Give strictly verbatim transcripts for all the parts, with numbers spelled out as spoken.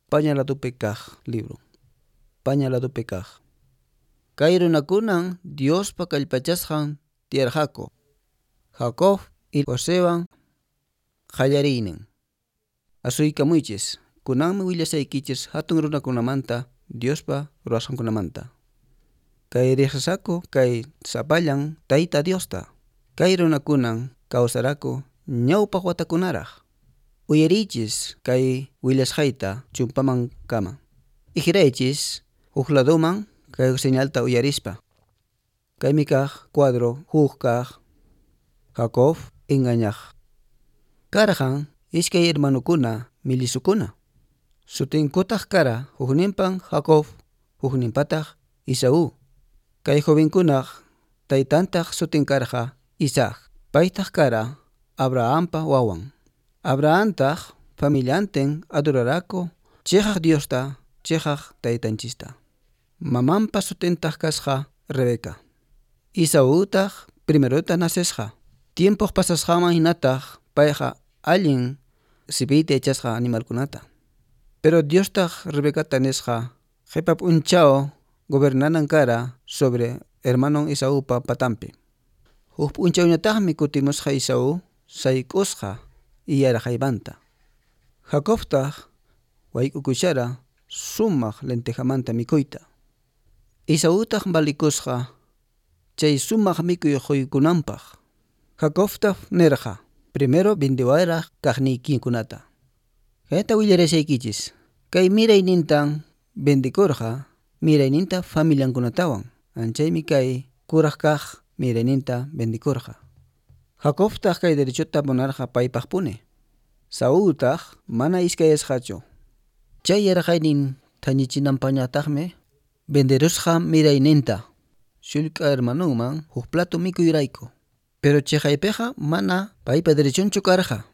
Paña ladupi kaq libro. Paña ladupi kaq. Kay runakunan Diospa kallpachasqan tiyarqaku. Jacob y Josewan qallariynin. Asuykamuychis, kunanmi willasaykichis hatun runakunamanta Diospa ruwasqankunamanta. Kay riqsisaku kay sapallan Tayta Diosta. Kay runakunan kawsaraku ñawpaq watakunaraq. Uyariychis kay willasqayta chumpaman kama. Ijiraychis huk laduman kay señalta uyarispa. Kaymi kaq cuadro huk kaq Jacob engañaq. Karqan iskay hermanukuna millisukuna. Sutinkutaq kara hukninpan Jacob, hukninpataq Isaú. Kay jovenkunaq taytantaq sutin karqa Isaac. Paytaq kara Abrahampa wawan. Abrahamtaq familiantin adoraraku chiqaq Diosta, chiqaq taytanchista. Mamanpa sutintaq kasqa Rebeca. Isaútaq primerota nacesqa. Tiempoq pasasqanman hinataq payqa allin sipiyta yachasqa animalkunata. Pero Diostaq Rebecata nisqa qhipa p'unchaw gobernanan kara sobre hermanon Isaúpa patampi. Huk p'unchawñataqmi kutimusqa Isaú sayk'usqa yaraqaymanta. Jacobtaq wayk'ukushara sumaq lentejamanta mikuyta. Isaútaq valikusqa chay sumaq mikuy quykunanpaq. Jacobtaq nirqa primero vendewaraq kaqniykikunata. Kayta willarasaykichis. Kay miraynintan vendikurqa mirayninta familiankunatawan. Anchaymi kay kuraq kaq mirayninta vendikurqa. Jacobtaq kay derechota munarqa paypaqpuni. Saúltaq mana iskayasqachu. Chay yaraqaynin thañichinanpaqñataqmi venderusqa mirayninta sullk'a hermanunman huk plato mikuyrayku. Pero chaypiqa mana paypa derechonchu karqa.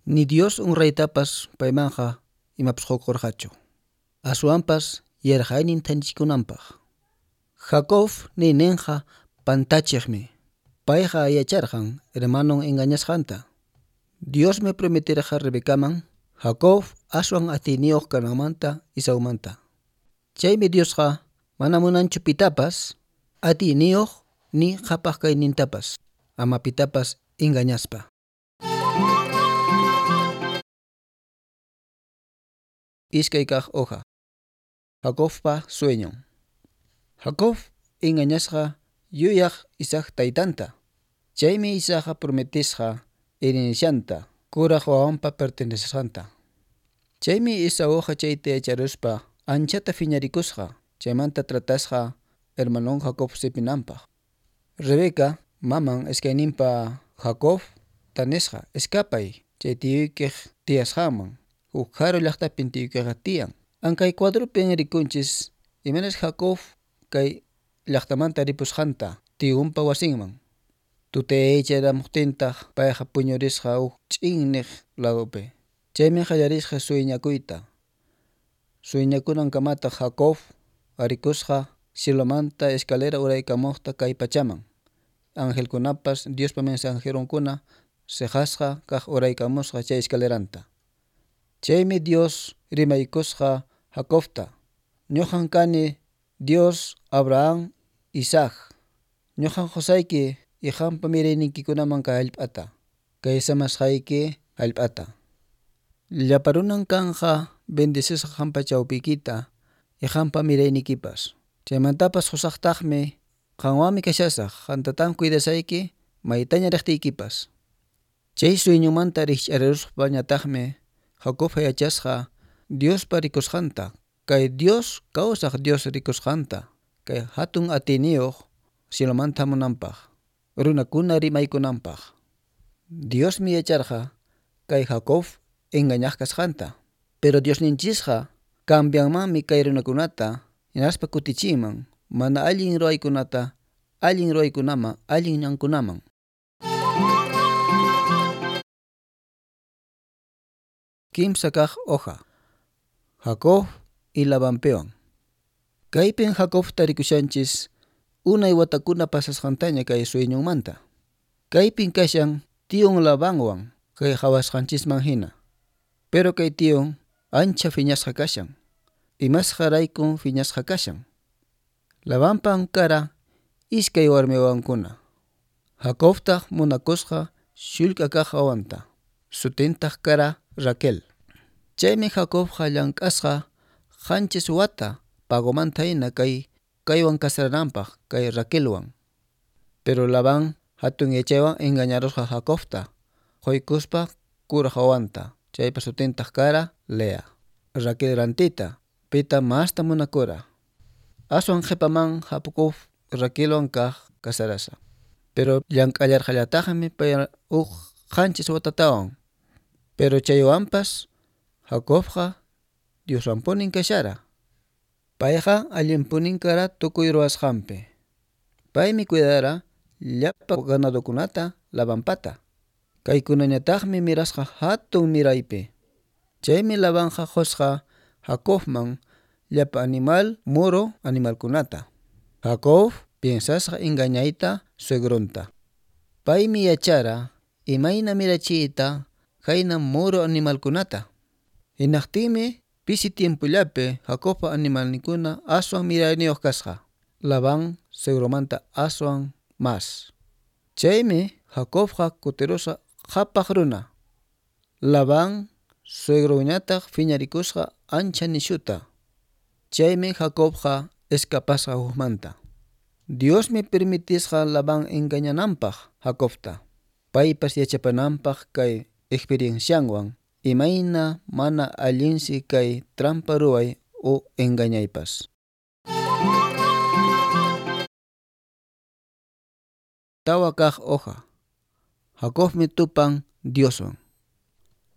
Ni Dios honraytapas paymanqa imapas qukurqachu. Aswanpas yaraqaynin thañichikunanpaq. Jacob niyninqa pantachiqmi. Payqa yacharqan hermanon engañasqanta. Diosmi prometerqa Rebecaman Jacob aswan atiyniyuq kananmanta Isaumanta. Chaymi Diosqa mana munanchu pitapas atiyniyuq ni qhapaq kaynintapas ama pitapas engañaspa. Iskay kaq hoja. Jacobpa sueñon. Jacob engañasqa yuyaq Isaac taytanta. Chaymi Isaacqa prometisqa herencianta kuraq wawanpa pertenecesqanta. Chaymi Isaúqa chayta yacharuspa anchata phiñarikusqa chaymanta tratasqa hermanon Jacob sipinanpaq. Rebeca maman iskayninpa Jacob tanisqa escapay chay tiyuykiq tiyasqanman huk karu llaqtapin tiyuykiqa tiyan. Ankay cuadropin rikunchis imaynas Jacob kay llaqtamanta ripusqanta tiyunpa wasinman. Tutaycharamuqtintaq payqa puñurisqa huk ch'inniq ladopi. Chaymi qallarisqa sueñakuyta. Sueñakunankamataq Jacob arikusqa cielomanta escalera uraykamuqta kay pachaman. Angelkunapas Diospa mensajeronkuna siqasqa kaq uraykamusqa chay escaleranta. Chaymi Dios rimaykusqa Jacobta. Ñuqan kani Dios Abraham, Isaac. Ñuqan qusayki iqampa mirayniykikunaman kay hallp'ata. Kay samasqayki hallp'ata. Llapa runan kanqa bendecisqa qampa chawpiykita iqampa miraynikipas. Chaymantapas qusaqtaqmi qanwanmi kashasaq qantataq cuidasayki maytaña riqtiykipas. Chay sueñomanta rikch'ariruspañataqmi Jacob yachasqa Diospa rikusqanta. Kay Dios kawsaq Dios rikusqanta. Kay hatun atiyniyuq cielomanta hamunanpaq. Runakuna rimaykunanpaq. Diosmi yacharqa kay Jacob engañaq kasqanta. Pero Diosninchisqa cambianmanmi kay runakunata hinaspa kutichinman mana allin ruwaykunata allin ruwaykunaman allin ñankunaman. Kimsa kaq hoja. Jacob y Labanpiwan. Kaypin Jacobta rikushanchis unay watakuna pasasqantaña kay sueñonmanta. Kaypin kashan tiyun Labanwan kay qhawasqanchisman hina. Pero kay tiyun ancha phiñasqa kashan. Imasqa raykun phiñasqa kashan. Labanpan kara iskay warmi wawankuna. Jacobtaq munakusqa sullk'a kaq wawanta, sutintaq kara Raquel. Chaymi Jacobqa llank'asqa qanchis wata pagomanta hina kay kaywan casarananpaq kay Raquelwan. Pero Labán hatun yachaywan engañarusqa Jacobta, quykuspa kuraq wawanta, chaypa sutintaq kara Lea. Raquel rantita, pita masta munakura. Aswan qhipaman Jacob Raquelwan kaq casarasqa. Pero llank'allarqallataqmi pay huk qanchis watatawan. Pero chaywanpas Jacobqa Dioswanpunin kashara. Payqa allinpunin kara tukuy ruwasqanpi. Paymi cuidara llapa ganadokunata Labanpata. Kaykunañataqmi mirasqa hatun miraypi. Chaymi Labanqa qusqa Jacobman llapa animal muro animalkunata. Jacob piensasqa engañayta suegronta. Paymi yachara imayna mirachiyta khayna muro animalkunata. Hinaqtinmi pisi tiempollapi Jacobpa animalninkuna aswan mirayniyuq kasqa. Labán suegromanta aswan mas. Chaymi Jacobqa kutirusqa qhapaq runa. Labán suegroñataq phiñarikusqa ancha nishuta. Chaymi Jacobqa escapasqa hukmanta. Diosmi permitisqa Labán engañananpaq Jacobta. Paypas yachapananpaq kay experiencianwan imayna mana allinsi kay trampa ruway o engañaypas. Tawa kaq hoja. Jacobmi tupan Dioswan.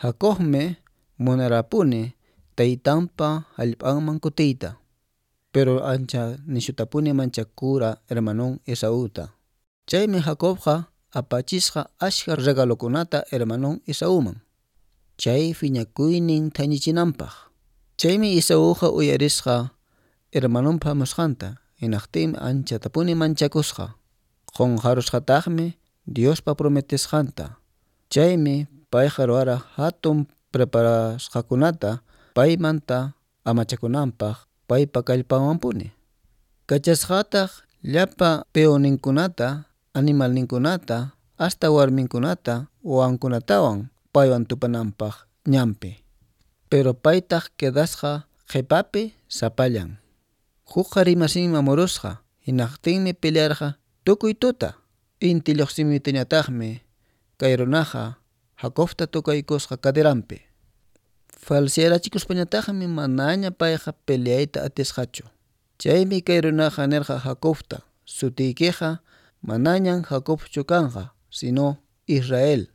Jacobmi munarapuni taytanpa hallp'anman kutiyta. Pero ancha nishutapuni manchakura hermanon Esauta. Chaymi Jacobqa apachisqa ashka regalokunata hermanon Esauman. Chay phiñakuynin thañichinanpaq. Chaymi Esauqa uyarisqa hermanonpa hamusqanta, hinaqtinmi anchatapuni manchakusqa. Qunqarusqataqmi Diospa prometesqanta. Chaymi payqa ruwara hatun preparasqakunata paymanta amachakunanpaq paypa kallpanwanpuni. Kachasqataq llapa peoninkunata, animalninkunata, hasta warminkunata, wawankunatawan paywan tupananpaq ñanpi. Pero paytaq quedasqa qhipapi sapallan. Huk qhari masinmi hamurusqa, hinaqtinmi pelearqa tukuy tuta. Inti lluqsimuytañataqmi kay runaqa Jacobta tukaykusqa caderanpi. Falsearachikuspañataqmi manaña payqa peleayta atisqachu. Chaymi kay runaqa nirqa Jacobta, sutiykiqa manañan Jacobchu kanqa, sino Israel.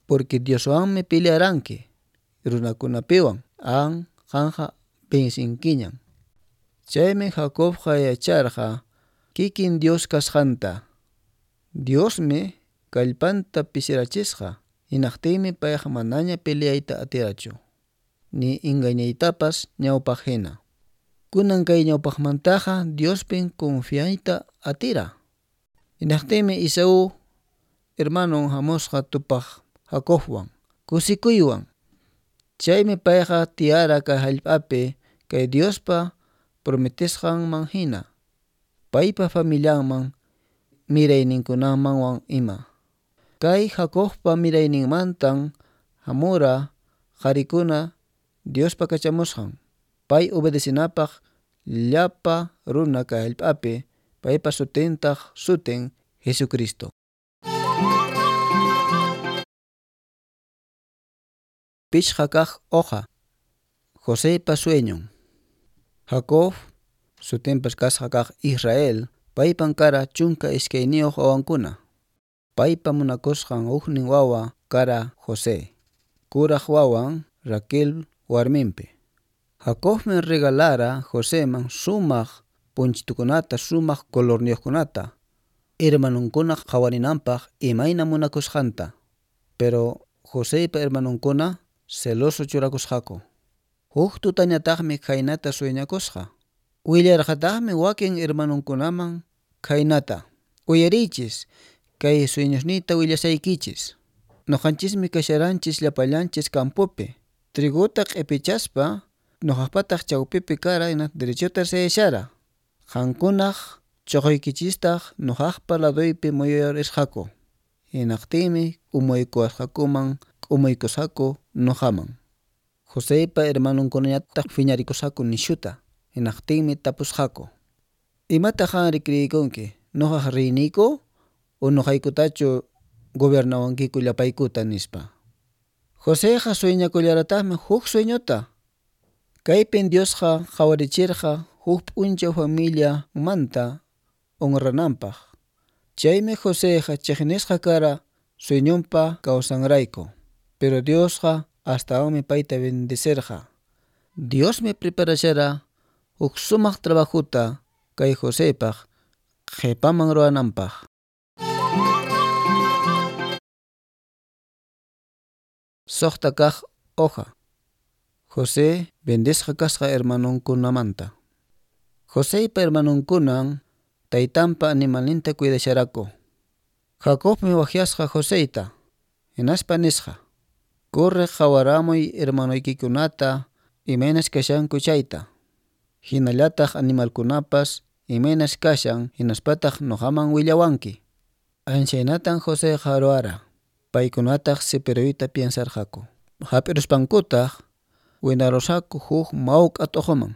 Porque Dioswanmi pelearanki, runakunapiwan, an qanqa vencinkiñan. Chaymi Jacobqa yacharqa kikin Dios kasqanta. Diosmi kallpanta pisirachisqa, hinaqtinmi payqa manaña peleayta atirachu, ni engañaytapas ñawpaq hina. Kunan kay ñawpaqmantaqa Diospin confiayta atira. Hinaqtinmi Esaú hermanon hamusqa tupaq Jacobwan, kusikuywan. Chaymi payqa tiyara kay hallp'api kay Diospa prometesqanman hina, paypa familianman mirayninkunamanwan ima. Kay Jacobpa mirayninmantan hamura qharikuna Diospa kachamusqan, pay obedecinapaq llapa runa kay hallp'api, paypa sutintaq sutin Jesucristo. Pichqa kaq hoja. Josepa sueñon. Jacob, sutinpas kasqa kaq Israel, paypan kara chunka iskayniyuq wawankuna. Paypa munakusqan huknin wawa kara José. Kuraq wawan Raquel warminpi. Jacobmi regalara Joseman sumaq punchitukunata, sumaq colorniyuqkunata, hermanonkuna qhawarinanpaq imayna munakusqanta. Pero Josepa hermanonkuna celoso churakusqaku. Huk tutañataqmi khaynata sueñakusqa. Willarqataqmi wakin hermanonkunaman khaynata. Uyariychis, kay sueñosniyta willasaykichis. Nuqanchismi kasharanchis llapallanchis campopi, Triguta q'ipichaspa nuqaqpataq chawpipi kara hina derechota sayashara. Qankunaq chuquykichistaq nuqaqpa laduypi muyurisqaku. Hinaqtinmi k'umuykuwasqakuman k'umuykusqaku nuqaman. Joseypa hermanunkunañataq phiñarikusqaku nishuta. Hinaqtinmi tapusqaku: Imataq qanri kriykunki? Nuqaq reyniyku o nuqaykutachu gobernawankiku llapaykuta nispa. Joseyqa sueñakullarataqmi huk sueñota. Kaypin Diosqa qhawarichirqa huk p'unchaw familiamanta honrananpaq. Chaymi Joseyqa chiqnisqa kara sueñonpa kawsanrayku. Pero Diosqa astawanmi payta bendecirqa. Diosmi preparashara huk sumaq trabajuta kay Joseypaq qhipaman ruwananpaq. Suqta kaq hoja. José bendisqa kasqa hermanunkunamanta. Joseypa hermanunkunan taytanpa animalninta cuidasharaku. Jacobmi waqyasqa Joseyta, hinaspa nisqa: Corre qhawaramuy hermanuykikunata imaynas kashanku chayta. Hinallataq animalkunapas imaynas kashan hinaspataq nuqaman willawanki. Anchaynatan Joseyqa ruwara. Paykunataq sipiruyta piensarqaku. Hap'iruspankutaq winarusqaku huk mawk'a t'uquman.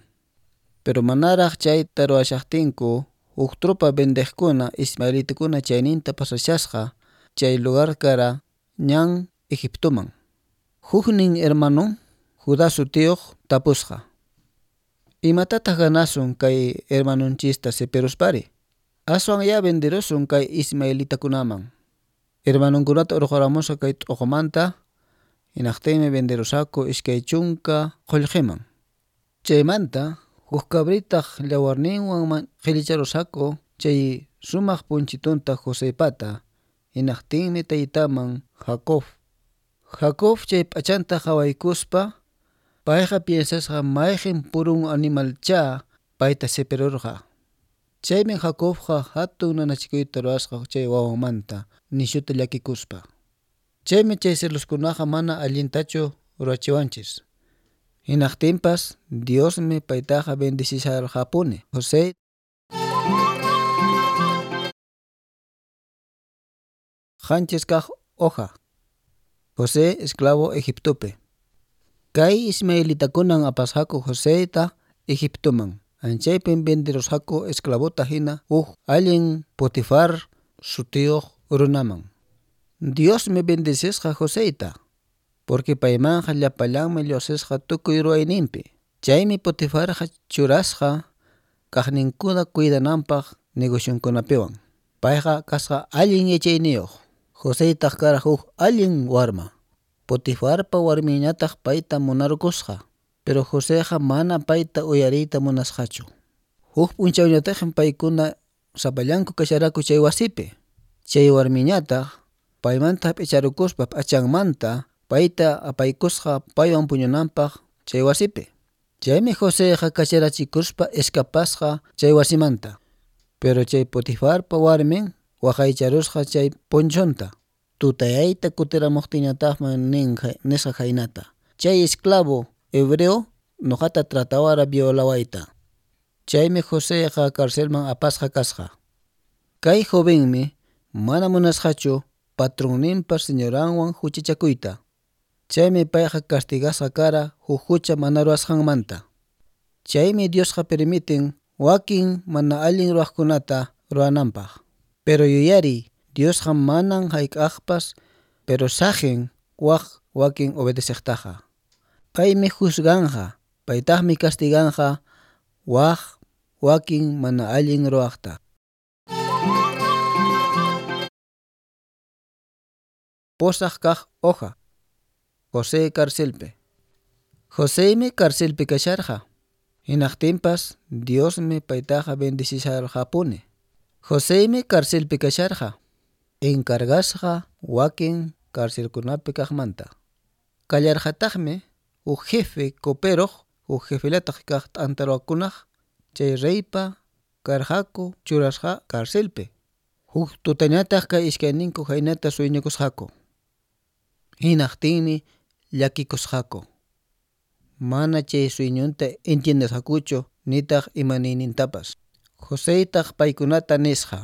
Pero manaraq chayta ruwashaqtinku huk tropa vendeqkuna ismaelitakuna chayninta pasashasqa chay lugar kara ñan Egiptoman. Huknin hermanon Judá sutiyuq tapusqa: Imatataq ganasun kay hermanunchista sipiruspari? Aswan ya venderusun kay ismaelitakunaman. Hermanunkunata urquramusqa kay t'uqumanta hinaqtinmi venderusqaku iskay chunka qullqiman. Chaymanta huk cabritaq llawarninwan qhillicharusqaku chay sumaq punchitunta Joseypata hinaqtinmi taytaman Jacob. Jacob chay p'achanta qhawaykuspa payqa piensasqa mayqin purun animalchá payta sipirurqa. Chaymi Jacobqa hatun nanachikuyta ruwasqa chay wawanmanta nishuta llakikuspa. Chaymi chay celuskunaqa mana allintachu ruwachiwanchis. Hinaqtinpas Diosmi paytaqa bendecisharqapuni. José Qanchis kaq hoja. José esclavo Egiptopi. Kay ismaelitakunan apasqaku Joseyta Egiptoman. Anchaypin venderusqaku esclavota hina huk allin Potifar sutiyuq runaman. Diosmi bendecisqa Joseyta, porque paymanqa llapallanmi lluqsisqa tukuy ruwayninpi. Chaymi Potifarqa churasqa kaqninkuna cuidananpaq negocionkunapiwan. Payqa kasqa allin yachayniyuq. Joseytaq kara huk allin warma. Potifarpa warminñataq payta munarukusqa. Pero Joseqa mana payta uyariyta munasqachu. Huk p'unchawñataqmi paykuna sapallanku kasharaku chay wasipi. Chay warmiñataq paymanta hap'icharukuspa p'achanmanta payta apaykusqa paywan puñunanpaq chay wasipi. Chaymi Joseqa kacharachikuspa escapasqa chay wasimanta. Pero chay Potifarpa warmin waqaycharusqa chay ponchonta. Tutayayta kutiramuqtinñataqmi nin nisqa khaynata: Chay esclavo hebreo nuqata tratawara violawayta. Chaymi Joseqa carcelman apasqa kasqa. Kay jovenmi mana munasqachu patronninpa señoranwan huchachakuyta. Chaymi payqa castigasqa kara huk hucha mana ruwasqanmanta. Chaymi Diosqa permiten wakin mana allin ruwaqkunata ruwananpaq. Pero yuyariy, Diosqa manan hayk'aqpas pero saqin waq wakin obedeciqtaqa. Paymi juzganqa, paytaqmi castiganqa waq wakin mana allin ruwaqta. Pusaq kaq hoja. José carcelpi. Joseymi carcelpi kasharqa. Hinaqtinpas Diosmi paytaqa bendecisharqapuni. Joseymi carcelpi kasharqa. Encargasqa wakin carcelkunapi kaqmanta. Kallarqataqmi huk jefe coperoq, huk jefelataq kaq t'antaruwakunaq chay reypa karqaku churasqa carcelpi. Huk tutañataq kay iskayninku khaynata sueñakusqaku. Hinaqtinmi llakikusqaku. mana chay sueñonta entiendesqakuchu nitaq imaniynintapas. Joseytaq paykunata nisqa: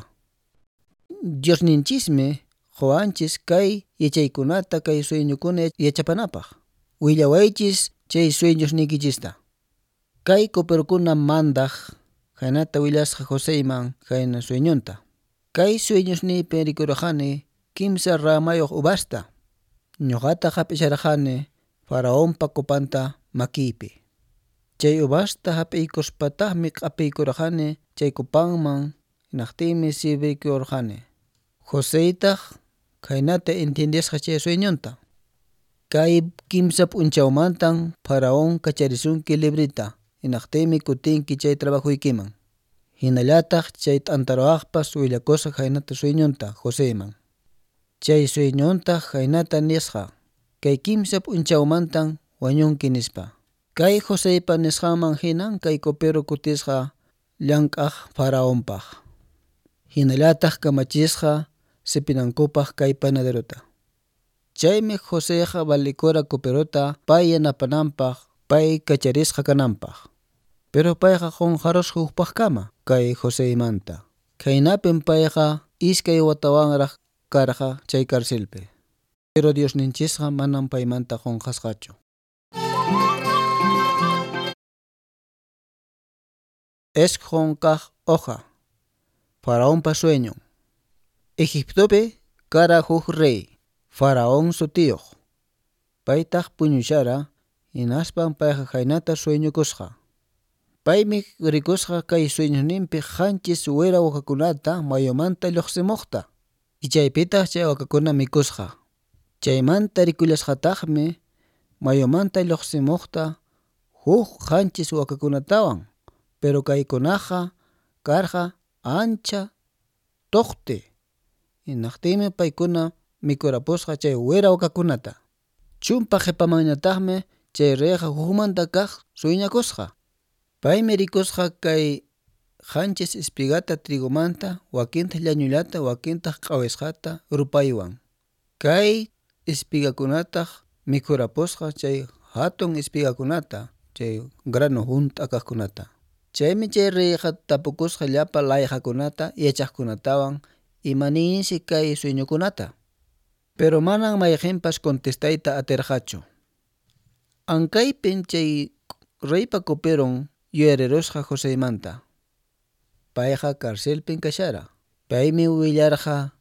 Diosninchismi qowanchis kay yachaykunata kay sueñokuna yachapanapaq. Willawaychis chay sueñosniykichista. Kay coperokuna mandaq khaynata willasqa Joseyman khayna sueñonta. Kay sueñosniypi rikurqani kimsa ramayuq uvasta. Ñuqataq hap'isharqani Faraonpa copanta makiypi. Chay uvasta hap'iykuspataqmi q'apiykurqani chay copanman hinaqtinmi sirviykurqani. Joseytaq khaynata entiendesqa chay sueñonta. Kay kimsa p'unchawmantan Faraón kacharisunki librita hinaqtinmi kutinki chay trabajoykiman. Hinallataq chay t'antaruwaqpas willakusqa khaynata sueñonta Joseyman. Chay sueñontaq khaynata nisqa: kay kimsa p'unchawmantan wañunki nispa. Kay Joseypa nisqanman hinan kay copero kutisqa llank'aq Faraonpaq. Hinallataq kamachisqa sipinankupaq kay panaderota. Chaymi Joseyqa valikura coperota pay yanapananpaq, pay kacharisqa kananpaq. Pero payqa qunqarusqa hukpaqkama kay Joseymanta. Khaynapin payqa iskay watawanraq karqa chay carcelpi. Pero Diosninchisqa manam paymanta qunqasqachu. Isqun kaq hoja. Faraonpa sueñon. Egiptopi kara huk rey, Faraón sutiyuq. Paytaq puñushara, hinaspan payqa khaynata sueñukusqa. Paymi rikusqa kay sueñosninpi qanchis wira wakakunata mayumanta lluqsimuqta. Chaypitaq chay wakakuna mikusqa. Chaymanta rikullasqataqmi mayumanta lluqsimuqta huk qanchis wakakunatawan. Pero kaykunaqa karqa ancha tuqti. Hinaqtinmi paykuna mikurapusqa chay wira wakakunata. Chumpa qhipamanñataqmi chay reyqa hukmanta kaq sueñakusqa. Paymi rikusqa kay qanchis espigata trigomanta, wakintaq llañullata, wakintaq q'awisqata rupaywan. Kay espigakunataq mikhurapusqa chay hatun espigakunata, chay grano hunt'a kaqkunata. Chaymi chay reyqa tapukusqa llapa layqakunata yachaqkunatawan imaninsi kay sueñokunata. Pero manan mayqinpas contestayta atirqachu. Ankaypin chay reypa coperon yuyarirusqa Joseymanta. Payqa carcelpin kashara. Paymi willarqa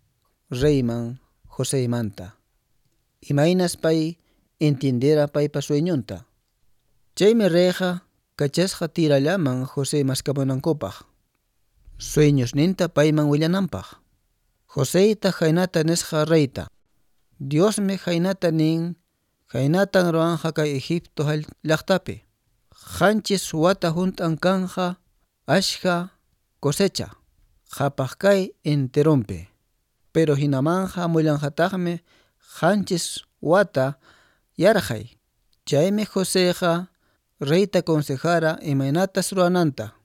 reyman Joseymanta. Imaynas pay entiendera paypa sueñonta. Chaymi reyqa kachasqa tirallaman José maskamunankupaq. Sueñosninta payman willananpaq. Joseyta khaynata nisqa reyta: Diosmi khaynata nin, khaynatan ruwanqa kay Egipto llaqtapi. Qanchis wata hunt'an kanja ashka cosecha, qhapaq kay enteronpi. Pero hinamanja hamullanqataqmi qanchis wata yarqay. Chaymi Joseyqa reyta consejara imaynatas ruwananta.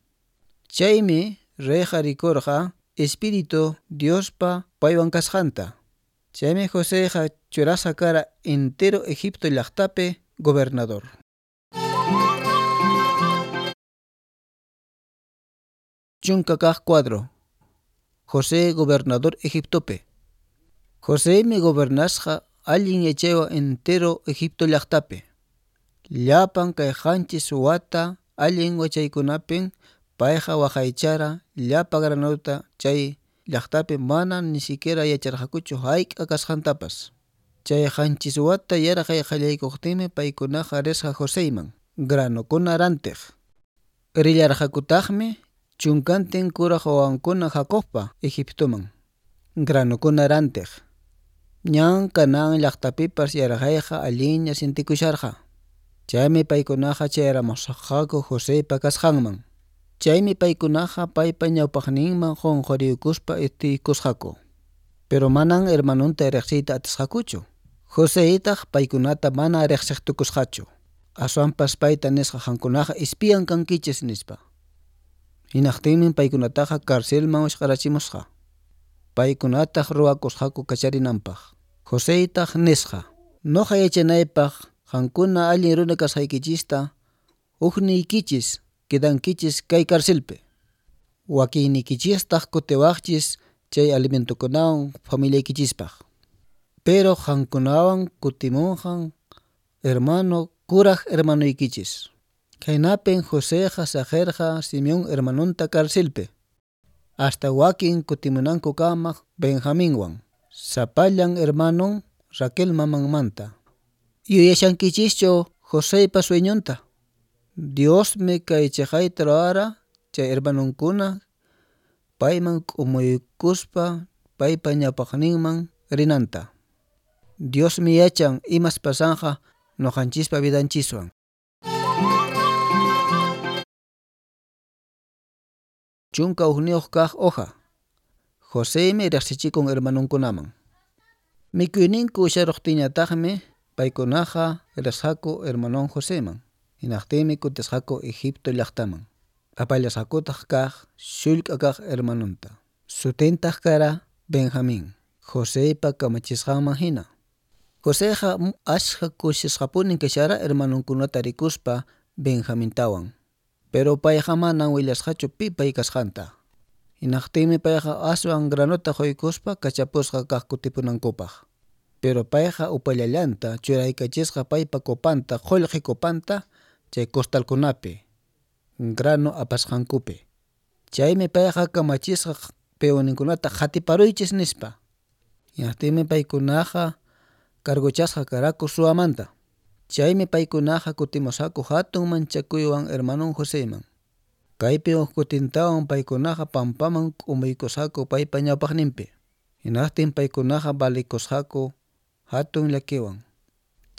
Chaymi reyqa rikurqa Espíritu Diospa paywan kasqanta. Chaymi Joseyqa churasqa kara entero Egipto llaqtapi gobernador. Chunka kaq cuadro. José gobernador Egiptopi. Joseymi gobernasqa allin yachaywan entero Egipto llaqtapi. Llapan kay qanchis wata allin wachaykunapin payqa waqaychara llapa granota chay llaqtapi mana ni siquiera yacharqakuchu hayk'a kasqantapas. Chay qanchis wata yarqay qallaykuqtinmi paykunaqa risqa Joseyman granokuna rantiq. Rillarqakutaqmi chunkantin kuraq wawankuna Jacobpa Egiptoman granokuna rantiq. Ñan Canaán llaqtapipas yarqayqa allinña sintikusharqa. Chaymi paykunaqa chayaramusqaku Joseypa kasqanman. Chaymi paykunaqa paypa ñawpaqninman qunquriykuspa itiykusqaku. Pero manan hermanunta riqsiyta atisqakuchu. Joseytaq paykunata mana riqsiqtukusqachu. Aswanpas payta nisqa qankunaqa espiyan kankichis nispa. Hinaqtinmi paykunataqa carcelman wisq'arachimusqa. Paykunataq ruwakusqaku kacharinanpaq. Joseytaq nisqa: Noqa yachanaypaq qankuna allin runa kasqaykichista Hukniykichis quedankichis kay carcelpi. Wakinniykichistaq kutiwaqchis chay alimentokunawan familiaykichispaq. Pero qankunawan kutimunqan hermano kuraq hermanoykichis. Khaynapin Joseqa saqirqa Simeón hermanonta carcelpi. Hasta wakin kutimunankukama Benjaminwan. Sapallan hermanon Raquel mamanmanta. Yuyashankichischu Joseypa sueñonta. Diosmi kay chiqayta ruwara chay hermanonkuna payman k'umuykuspa paypa ñawpaqninman rinanta. Diosmi yachan imas pasanqa ñuqanchispa vidanchiswan. Chunka hukniyuq kaq hoja. Joseymi riqsichikun hermanonkunaman. Mikuyninku usharuqtinñataqmi paykunaqa risqaku hermanon Joseman. Hinaqtinmi kutisqaku Egipto llaqtaman. Apallasqakutaq kaq sullk'a kaq hermanonta. Sutintaq kara Benjamín, Joseypa kamachisqanman hina. Joseqa ashka kusisqapunin kashara hermanonkunata rikuspa Benjamintawan. Pero payqa manan willasqachu pi pay kasqanta. Hinaqtinmi payqa aswan granota quykuspa kachapusqa kaq kutipunankupaq. Pero payqa upallallanta churaykachisqa paypa copanta, qullqi copanta chay costalkunapi, grano apasqankupi. Chaymi payqa kamachisqa peoninkunata qatiparuychis nispa. Hinaqtinmi paykunaqa cargochasqa karaku suwamanta. Chaymi paykunaqa kutimusqaku hatun manchakuywan hermanon Joseyman. Kaypi huk kutintawan paykunaqa pampaman k'umuykusqaku paypa ñawpaqninpi. Hinaqtin paykunaqa valikusqaku hatun llakiwan.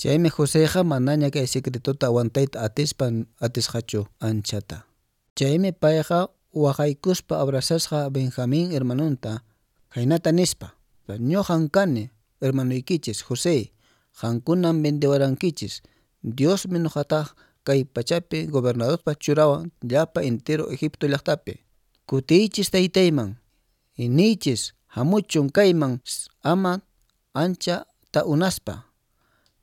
Chaymi Joseyqa manaña kay secretota aguantayta atispa atisqachu anchata. Chaymi payqa waqaykuspa abrazasqa Benjamín hermanonta khaynata nispa: Ñuqan kani hermanoykichis José, qankunan vendewarankichis. Diosmi ñuqataq kay pachapi gobernadorpaq churawan llapa entero Egipto llaqtapi. Kutiychis taytayman, niychis hamuchun kayman ama ancha ta'unaspa.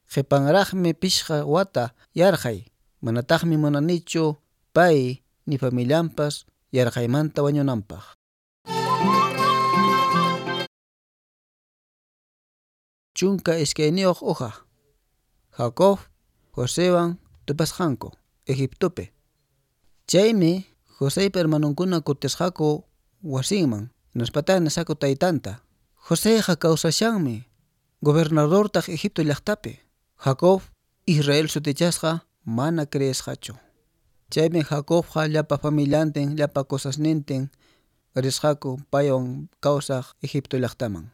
Qhipanraqmi pishqa wata yarqay, manataqmi munanichu pay ni familianpas yarqaymanta wañunanpaq. Chunka iskayniyuq hoja. Jacob Josewan tupasqanku Egiptopi. Chaymi Joseypa hermanonkuna kutisqaku wasinman, hinaspataq nisqaku taytanta. Joseyqa kawsashanmi, gobernadortaq Egipto llaqtapi. Jacob Israel sutichasqa mana creesqachu. Chaymi Jacobqa llapa familiantin, llapa cosasnintin risqaku paywan kawsaq Egipto llaqtaman.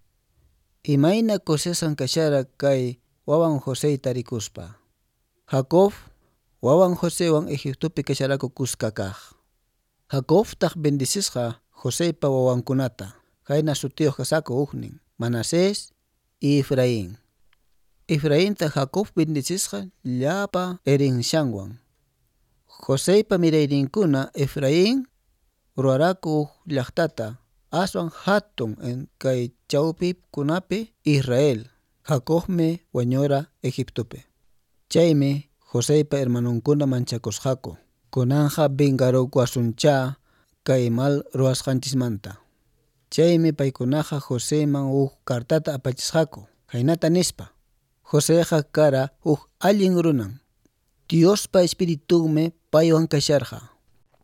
Imayna kusisqan kashara kay wawan Joseyta rikuspa. Jacob wawan Josewan Egiptopi kasharaku kuska kaq. Jacobtaq bendicisqa Joseypa wawankunata. Khayna sutiyuq kasqaku huknin, Manasés y Efraín. Efrainta Jacob bendicisqa llapa herencianwan. Joseypa mirayninkuna Efraín ruwaraku huk llaqtata aswan hatun en kay chawpikunapi Israel. Jacobmi wañura Egiptopi. Chaymi Joseypa hermanonkuna manchakusqaku. Kunanqa vengarukuwasunchá kay mal ruwasqanchismanta. Chaymi paykunaqa Joseyman huk cartata apachisqaku. Khaynata nispa: Joseyqa kara huk allin runan. Diospa espiritunmi paywan kasharqa.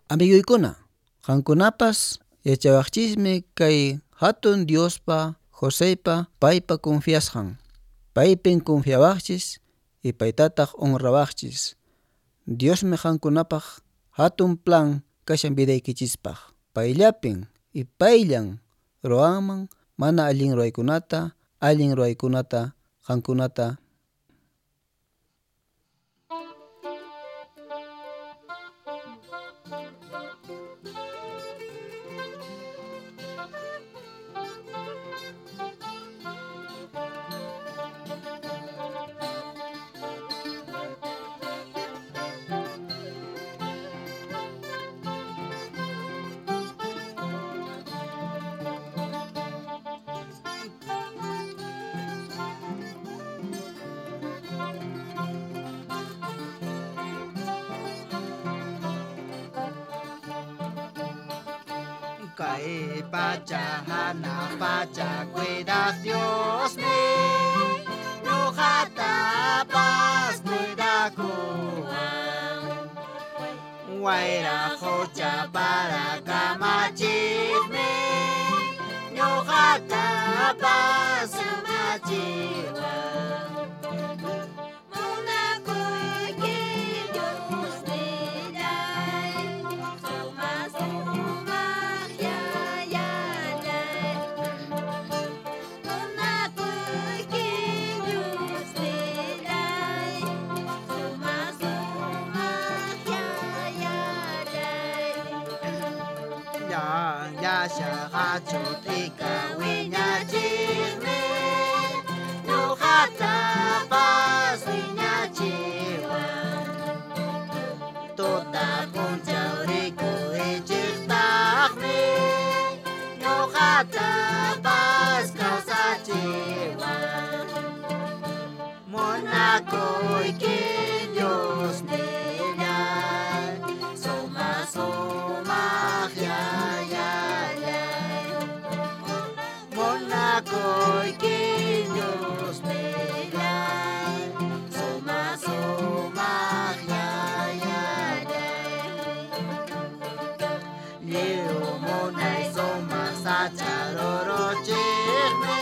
Amiguykuna, qankunapas yachawaqchismi kay hatun Diospa Joseypa paypa confiasqan. Paypin confiawaqchis y paytataq honrawaqchis. Diosmi qankunapaq hatun plan kashan vidaykichispaq. Payllapin y payllan ruwanman mana allin ruwaykunata, allin ruwaykunata qankunata. Kay pacha hanaq pacha cuidaq Diosmi ñuqatapas cuidakuwan wayra qucha para kamachiqmi ñuqatapas kamachiwan. Munakuyki Diosnillay, sumaq sumaq yayallay. Munakuyki Diosnillay, sumaq sumaq yayallay. Llanllashaqa t'ika wiñachiqmi ñuqatapas wiñachiwan tuta p'unchaw rikurichiqtaqmi ñuqatapas kawsachiwan. Munakuyki Diosnillay, sumaq sumaq yayallay. Munakuyki Diosnillay, sumaq sumaq yayallay. Lliw munay sumaq sacha ruruchiqmi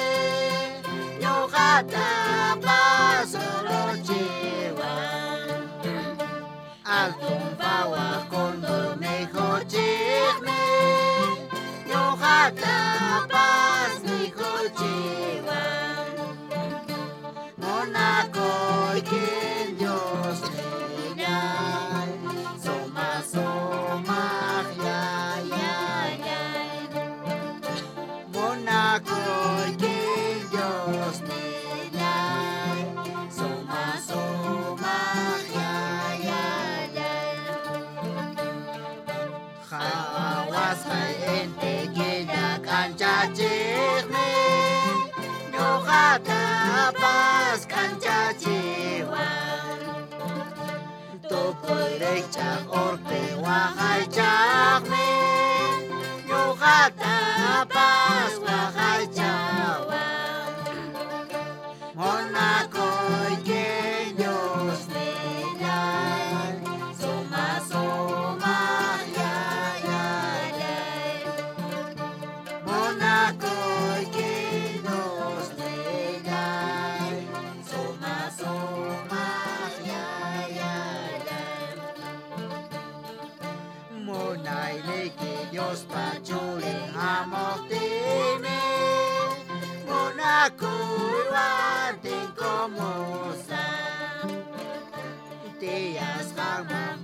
ñuqatapas ruruchiwan. Altun phawaq cóndor mikhuchiqmi ñuqatapas mikhuchiwan. Munakuyki Diosnillay, sumaq sumaq yayallay. Munakuyki Diosnillay, sumaq sumaq yayallay. Qhawasqay inti killa k'anchachiqmi ñuqatapas k'anchachiwan. Tukuy rikch'aq urpi waqaychaqmi ñuqatapas waqaychawan. Munakuyki Diosnillay, sumaq sumaq yayallay. Munakuyki Diosnillay, sumaq sumaq yayallay. Munayniyki Diospa churin hamuqtiymi munakuywan tinkumusaq. Tiyasqanman